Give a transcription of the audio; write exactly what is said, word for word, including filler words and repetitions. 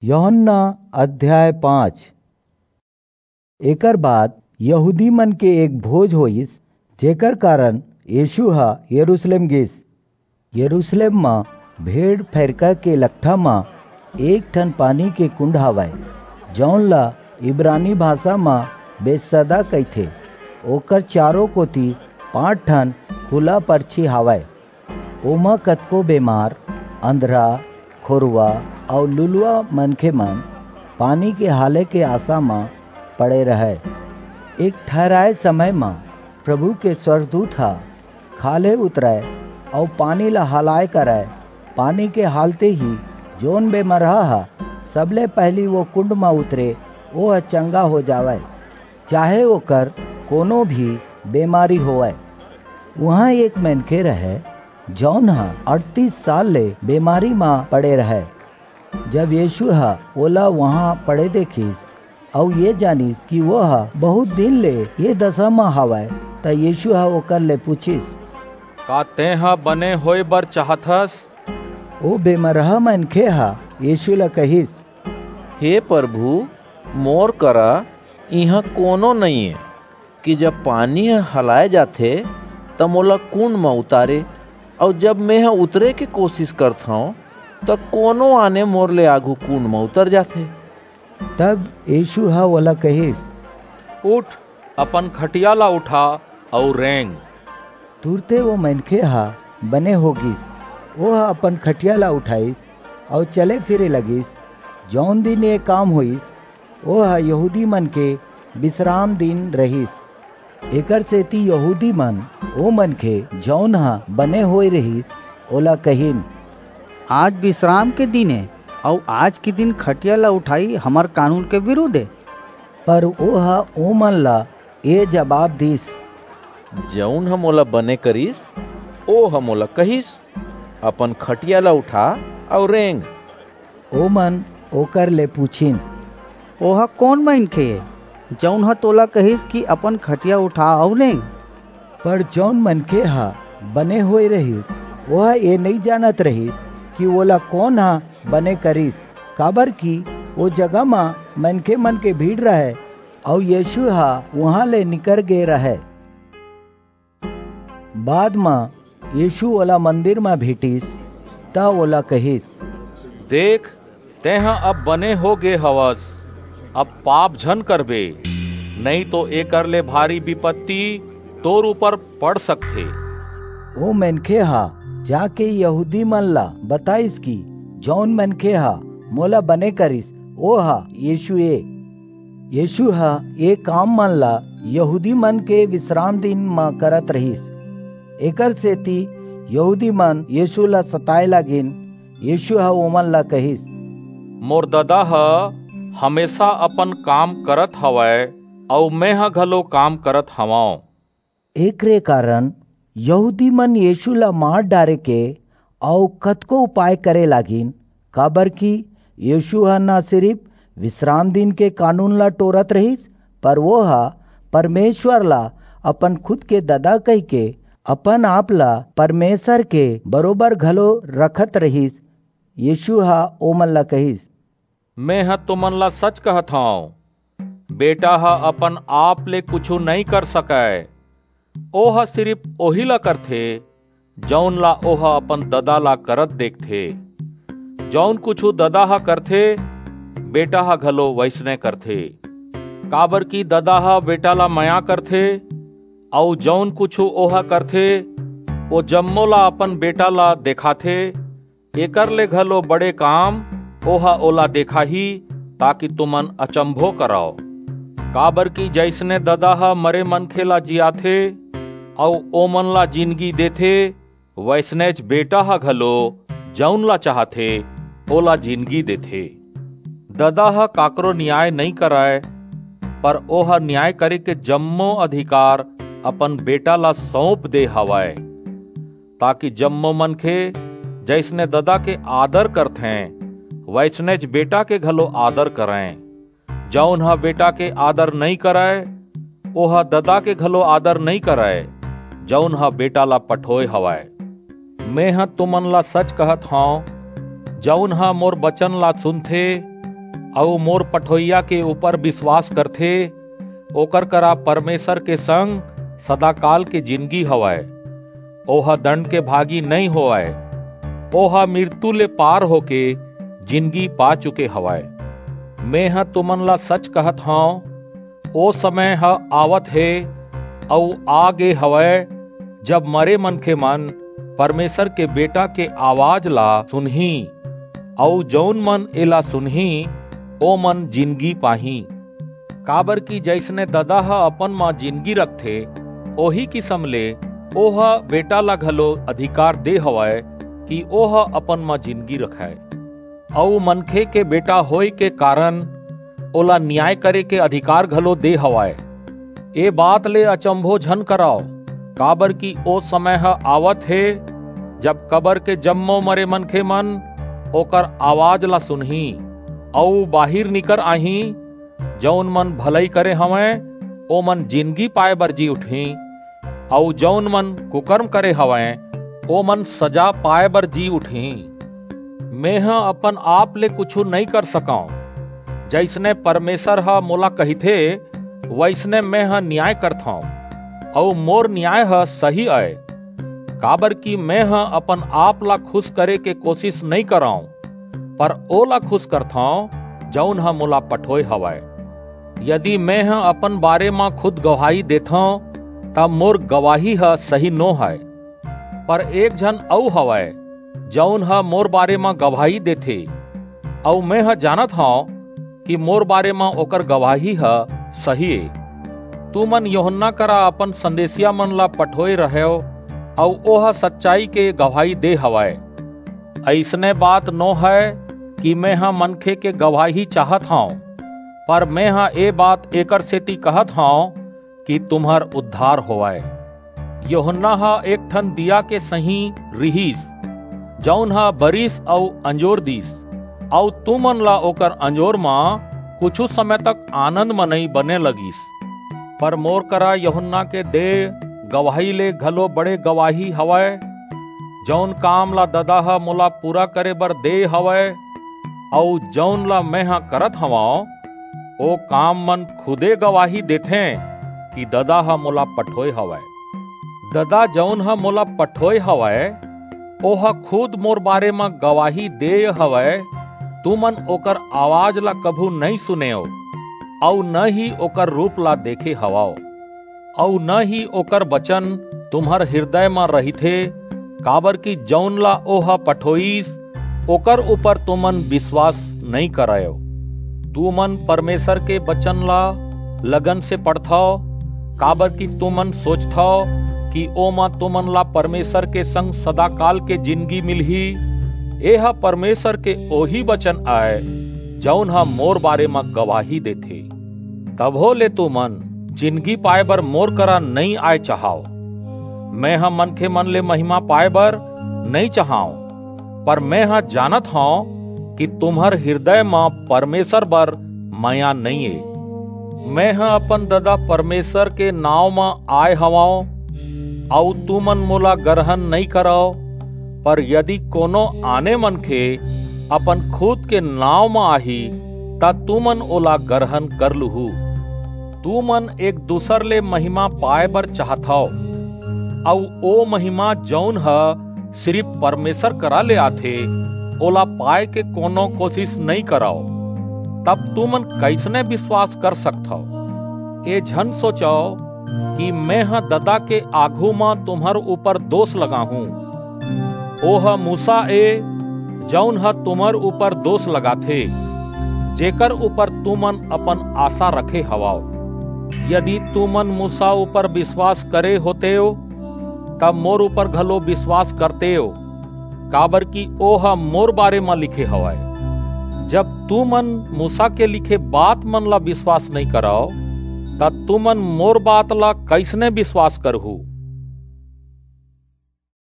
यूहन्ना अध्याय पाँच। एकर बाद यहूदी मन के एक भोज होइस, जेकर कारण यीशु ह यरूशलेम गिस। यरूशलेम म भेड़ फरका के लकठा म एक ठन पानी के कुंड हावय, जौन ला इब्रानी भाषा म बेतसदा कहिथे। ओकर चारों कोति पांच ठन खुला परछी हावय। ओमा कतको बेमार, अंधरा, खोरवा अउ लुलवा मनखे मन पानी के हाले के आसा म पड़े रहय। एक ठहराए समय म प्रभु के स्वर्गदूत ह खाल्हे उतरय अउ पानी ला हलाय करय। पानी के हालते ही जोन बेमरहा ह सबले पहिली वो कुंड म उतरे, ओह चंगा हो जावय, चाहे ओकर कोनो भी बेमारी होवय। उहाँ एक मनखे रहय, जौन ह अड़तीस साल ले बेमारी म पड़े रहय। जब यीशु ह ओला उहाँ पड़े देखिस अउ ये जानिस कि वो ह बहुत दिन ले ये दशा म हावय, त यीशु ह ओकर ले पूछिस, "का तेंह बने होय बर चाहथस?" ओ बेमरहा मनखे ह यीशु ला कहिस, "हे प्रभु, मोर करा इहाँ कोनो नइये कि जब पानी ह हलाए जाथे, त मोला कुंड म उतारे, अउ जब मेंह उतरे के कोशिश करथंव, त कोनो आने मोर ले आघू कुंड म उतर जाथे।" तब यीशु ह ओला कहिस, "उठ, अपन खटिया ला उठा अउ रेंग।" तुरते वो मनखे ह बने हो गिस। ओह अपन खटिया ला उठाइस अउ चले फिरे लगिस। जौन दिन ये काम होइस, ओह यहूदी मन के बिसराम दिन रहिस। एकर सेती यहूदी मन ओ मनखे, जौन ह बने होय रहिस, ओला कहिन, "आज बिसराम के दिन ए, अउ आज के दिन खटिया ला उठाई हमर कानून के विरुद्ध ए।" पर ओह ओमन ला ए जबाब दिस, "जऊन ह मोला बने करिस, ओह मोला कहिस, 'अपन खटिया ला उठा अऊ रेंग।'" ओमन ओकर ले पूछिन, "ओह कोन मनखे ए, जऊन ह तोला कहिस कि अपन खटिया उठा अऊ रेंग?" पर जऊन मनखे ह बने होय रहिस, ओह ए नइं जानत रहिस कि ओला कोन ह बने करिस, काबरकि ओ जगह म मनखे मन के भीड़ रहय, अऊ यीशु ह उहां ले निकर गे रहय। बाद म यीशु ओला मंदिर म भेटिस, त ओला कहिस, "देख, तेंह अब बने हो गे हवस, अब पाप झन करबे, नइं तो एकर ले भारी बिपत्ति तोर ऊपर पड़ सकथे।" ओ मनखे ह जाके यहूदी मन ला बताइस कि जऊन मनखे ह मोला बने करिस, ओह यीशु ए। यीशु ह ए काम मन ला यहूदी मन के बिसराम दिन म करत रहिस। एकर सेती यहूदी मन यीशु ला सताय लागिन। यीशु ह ओमन ला कहिस, "मोर ददा ह हमेसा अपन काम करत हवय, अऊ मेंह घलो काम करत हवंव।" एकरे कारण यहूदी मन यीशु ला मार डारे के अऊ कतको उपाय करे लागिन, काबरकि यीशु ह न सिरिप बिसराम दिन के कानून ला टोरत रहिस, पर ओह परमेसर ला अपन खुद के ददा कहिके अपन आप ला परमेसर के बरोबर घलो रखत रहिस। यीशु ह ओमन ला कहिस, "मेंह तुमन ला सच कहत हंव, बेटा ह अपन आप ले कुछू नइं कर सकय। ओह सिरिप ओही ला करथे, जऊन ला ओह अपन ददा ला करत देखथे। जऊन कुछू ददा ह करथे, बेटा ह घलो वइसने करथे। काबरकि ददा ह बेटा ला मया करथे, अऊ जऊन कुछू ओह करथे, ओ जम्मो ला अपन बेटा ला देखाथे। एकर ले घलो बड़े काम ओह ओला देखाही, ताकि तुमन अचंभो करव। काबरकि जइसने ददा ह मरे मनखे ला जियाथे, अऊ ओमन ला जिनगी देथे, वइसनेच बेटा ह घलो जऊन ला चाहथे, ओला जिनगी देथे। ददा ह काकरो नियाय नइं करय, पर ओह नियाय करे के जम्मो अधिकार अपन बेटा ला सऊंप दे हवय, ताकि जम्मो मनखे जइसने ददा के आदर करथें, वइसनेच बेटा के घलो आदर करंय। जऊन ह बेटा के आदर नइं करय, ओह ददा के घलो आदर नइं करय, जऊन ह बेटा ला पठोय हवय। मेंह तुमन ला सच कहत हंव, जऊन ह मोर बचन ला सुनथे अऊ मोर पठोइया के ऊपर विश्वास करथे, ओकर करा परमेसर के संग सदाकाल के जिनगी हवय। ओह दंड के भागी नइं होवय, ओह मिरतू ले पार होके जिनगी पा चुके हवय। मेंह तुमन ला सच कहत हंव, ओ समय ह आवत हे अऊ आ गे हवय, जब मरे मनखेमन परमेसर के बेटा के अवाज ला सुनहीं, अऊ जऊन मन एला सुनहीं, ओमन जिनगी पाहीं। काबरकि जइसने ददा ह अपन म जिनगी रखथे, ओही किसम ले ओह बेटा ला घलो अधिकार दे हवय कि ओह अपन म जिनगी रखय। अऊ मनखे के बेटा होय के कारन ओला नियाय करे के अधिकार घलो दे हवय। ए बात ले अचंभो झन करव, काबरकि ओ समय ह आवत हे, जब कबर के जम्मो मरे मनखेमन ओकर अवाज ला सुनहीं, अऊ बाहिर निकर आहीं। जऊन मन भलई करे हवंय, ओमन जिनगी पाय बर जी उठहीं, अऊ जऊन मन कुकरम करे हवंय, ओमन सजा पाय बर जी उठहीं। मेंह अपन आप ले कुछू नइं कर सकंव। जइसने परमेसर ह मोला कहिथे, वइसने मेंह नियाय करथंव, अऊ मोर नियाय ह सही अय। काबरकि मेंह अपन आप ला खुस करे के कोसिस नइं करंव, पर ओला खुस करथंव, जऊन ह मोला पठोय हवय। यदि मेंह अपन बारे म खुद गवाही देथंव, त मोर गवाही ह सही नो हय। पर एक झन अऊ हवय, जऊन ह मोर बारे म गवाही देथे, अऊ मेंह जानत हंव कि मोर बारे म ओकर गवाही ह सही ए। तुमन यूहन्ना करा अपन संदेसियामन ला पठोय रहेव, अऊ ओह सच्चाई के गवाही दे हवय। अइसने बात नो हय कि मेंह मनखे के गवाही चाहत हंव, पर मेंह ए बात एकरसेति कहत हंव कि तुम्हर उद्धार होवय। यूहन्ना ह एक ठन दीया के सहीं रिहिस, जऊन ह बरिस अऊ अंजोर दीस, अऊ तुमन ला ओकर अंजोर म कुछू समय तक आनंद मनई बने लगिस। पर मोर करा यूहन्ना के दे गवाही ले घलो बड़े गवाही हवय। जऊन काम ला ददा ह मोला पूरा करे बर दे हवय, अऊ जऊन ला मेंह करत हवंव, ओ काममन खुदे गवाही देथें कि ददा ह मोला पठोय हवय। ददा जऊन ह मोला पठोय हवय, ओह खुद मोर बारे म गवाही देय हवय। तुमन ओकर अवाज ला कभू नइं सुनेव, अऊ न ही ओकर रूप ला देखे हवव, अऊ न ही ओकर बचन तुम्हर हिरदय म रहिथे, काबरकि जऊन ला ओह पठोईस, ओकर ऊपर तुमन बिसवास नइं करयव। तुमन परमेसर के बचन ला लगन से पढ़थव, काबरकि तुमन सोचथव कि ओमा तुमन ला परमेसर के संग सदाकाल के जिनगी मिलही। एह परमेसर के ओही बचन अय, जऊन ह मोर बारे म गवाही देथे। तभो ले तुमन जिनगी पाय बर मोर करा नइं आय चाहव। मेंह मनखेमन ले महिमा पाय बर नइं चाहंव, पर मेंह जानत हंव कि तुम्हर हिरदय म परमेसर बर मया नइं ए। मेंह अपन ददा परमेसर के नांव म आय हवंव, अऊ तुमन मोला गरहन नइं करव, पर यदि कोनो आने मनखे अपन खुद के नांव म आही, त तुमन ओला गरहन कर लूहू। तुमन एक दूसर ले महिमा पाय बर चाहथव, अऊ ओ महिमा जऊन ह सिरिप परमेसर करा ले आथे, ओला पाय के कोनो कोसिस नइं करव। तब तुमन कइसने बिसवास कर सकथव? ए झन सोचव कि मेंह ददा के आघू म तुम्हर ऊपर दोस लगाहूं। ओह मूसा ए, जऊन ह तुम्हर ऊपर दोस लगाथे, जेकर ऊपर तुमन अपन आसा रखे हवव। यदि तुमन मूसा ऊपर बिसवास करे होतेव, तब मोर ऊपर घलो बिसवास करतेव, काबरकि ओह मोर बारे म लिखे हवय। जब तुमन मूसा के लिखे बातमन ला बिसवास नइं करव, त तुमन मोर बात ला कइसने बिसवास करहू?